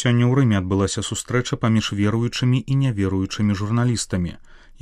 Сёння ў Рыме адбылася сустрэча паміж веруючымі і няверуючымі журналістамі.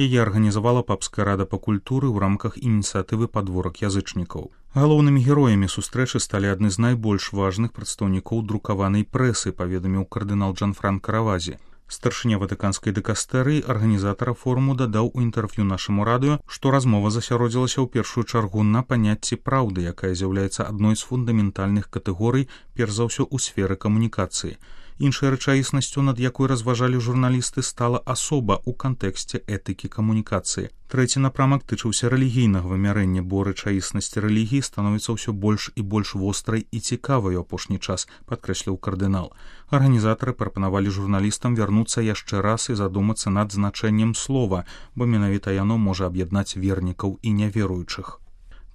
Яе арганізавала папская рада па культуры ў рамках ініцыятывы «Падворак язычнікаў». Галоўнымі героямі сустрэчы сталі адны з найбольш важных прадстаўнікоў друкаванай прэсы, паведаміў кардынал Джанфранка Равазі. Старшыня ватыканскай дэкастэрыі, арганізатара форуму, дадаў у інтэрв'ю нашаму радыё, што размова засяродзілася ў першую чаргу на паняцці праўды, якая з'яўляецца адной з фундаментальных катэгорый, перш за ўсё ў сферы камунікацыі. Іншай рэчаіснасцю, над якой разважалі журналісты, стала асоба ў кантэксце этыкі камунікацыі. Трэці напрамак тычыўся рэлігійнага вымярэння, бо рэчаіснасць рэлігіі становіцца ўсё больш і больш вострай і цікавай у апошні час, падкрэсліў кардынал. Арганізатары прапанавалі журналістам вярнуцца яшчэ раз і задумацца над значэннем слова, бо менавіта яно можа аб'яднаць вернікаў і няверуючых.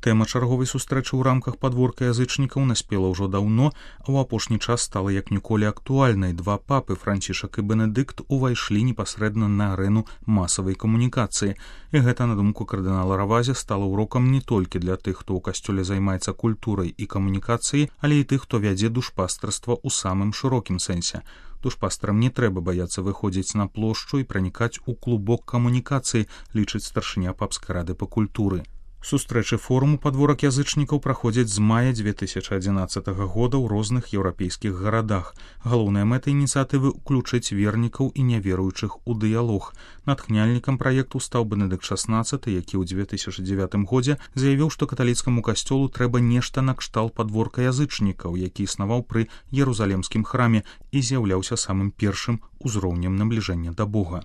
Тэма чарговай сустрэчы ў рамках падворка язычнікаў наспела ўжо даўно, а ў апошні час стала як ніколі актуальнай. Два папы, Францішак і Бенедыкт, увайшлі непасрэдна на арэну масавай камунікацыі. І гэта, на думку кардынала Равазі, стала урокам не толькі для тых, хто ў касцёле займаецца культурай і камунікацыяй, але і тых, хто вядзе душпастарства ў самым шырокім сэнсе. Душпастарам не трэба баяцца выходзіць на плошчу і пранікаць у клубок камунікацыі, лічыць старшыня папскай рады па культуры. Сустрэчы форуму «Падворак язычнікаў» праходзяць з мая 2011 года ў розных еўрапейскіх гарадах. Галоўная мэта ініцыятывы — уключыць вернікаў і няверуючых у дыялог. Натхняльнікам праекту стаў Бенедыкт XVI, які ў 2009 годзе заявіў, што каталіцкаму касцёлу трэба нешта накшталт падворка язычнікаў, які існаваў пры Ерусалемскім храме і з'яўляўся самым першым узроўнем набліжэння да Бога.